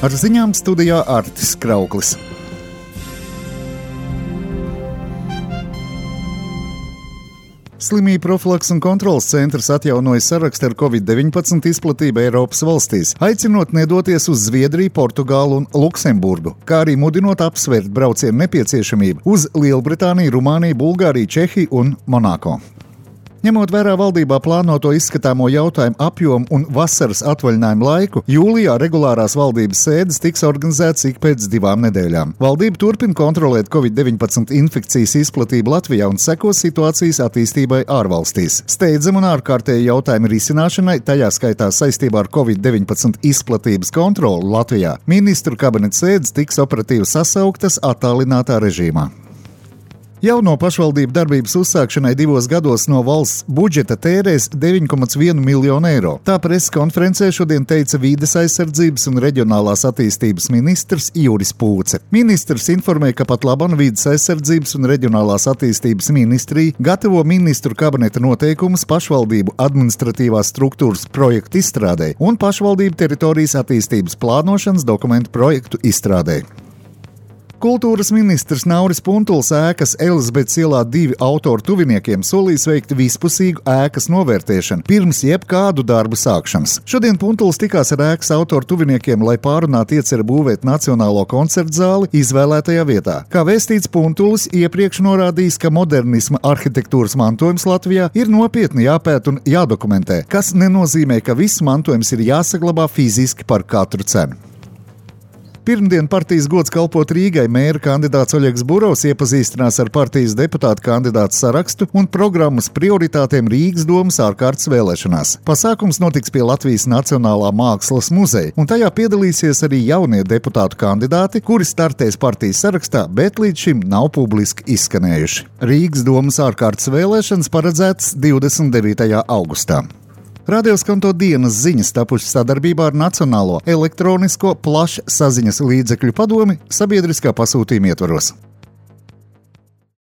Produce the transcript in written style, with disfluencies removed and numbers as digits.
Ar ziņām studijā Artis Krauklis. Slimību profilakses un kontroles centrs atjaunoja sarakstu ar Covid-19 izplatību Eiropas valstīs, aicinot nedoties uz Zviedriju, Portugālu un Luksemburgu, kā arī mudinot apsvērt braucienu nepieciešamību uz Lielbritāniju, Rumāniju, Bulgāriju, Čehiju un Monako. Ņemot vērā valdībā plānoto izskatāmo jautājumu apjomu un vasaras atvaļinājumu laiku, jūlijā regulārās valdības sēdes tiks organizētas ik pēc 2 nedēļām. Valdība turpina kontrolēt Covid-19 infekcijas izplatību Latvijā un seko situācijas attīstībai ārvalstīs. Steidzam un ārkārtēji jautājumu risināšanai, tajā skaitā saistībā ar Covid-19 izplatības kontroli Latvijā, ministru kabineta sēdes tiks operatīvi sasauktas attālinātā režīmā. Jauno pašvaldību darbības uzsākšanai 2 gados no valsts budžeta tērēs 9,1 miljonu eiro. Tā preses konferencē šodien teica Vīdes aizsardzības un reģionālās attīstības ministrs Juris Pūce. Ministrs informēja, ka pat labam Vīdes aizsardzības un reģionālās attīstības ministrija gatavo ministru kabineta noteikumus pašvaldību administratīvās struktūras projektu izstrādē un pašvaldību teritorijas attīstības plānošanas dokumentu projektu izstrādē. Kultūras ministrs Nauris Puntuls ēkas Elizabetes ielā 2 autoru tuviniekiem solīs veikt vispusīgu ēkas novērtēšanu pirms jebkādu darbu sākšanas. Šodien Puntuls tikās ar ēkas autoru tuviniekiem, lai pārunātu ieceri būvēt Nacionālo koncertu zāli izvēlētajā vietā. Kā vēstīts, Puntulis iepriekš norādījis, ka modernisma arhitektūras mantojums Latvijā ir nopietni jāpēt un jādokumentē, kas nenozīmē, ka viss mantojums ir jāsaglabā fiziski par katru cenu. Pirmdien partijas gods kalpot Rīgai mēra kandidāts Oļegs Burovs iepazīstinās ar partijas deputātu kandidātu sarakstu un programmas prioritātēm Rīgas domas ārkārtas vēlēšanās. Pasākums notiks pie Latvijas Nacionālā mākslas muzeja, un tajā piedalīsies arī jaunie deputātu kandidāti, kuri startēs partijas sarakstā, bet līdz šim nav publiski izskanējuši. Rīgas domas ārkārtas vēlēšanas paredzētas 29. augustā. Radio skanto dienas ziņas tapušas sadarbībā ar Nacionālo elektronisko plašsaziņas līdzekļu padomi sabiedriskā pasūtījuma ietvaros.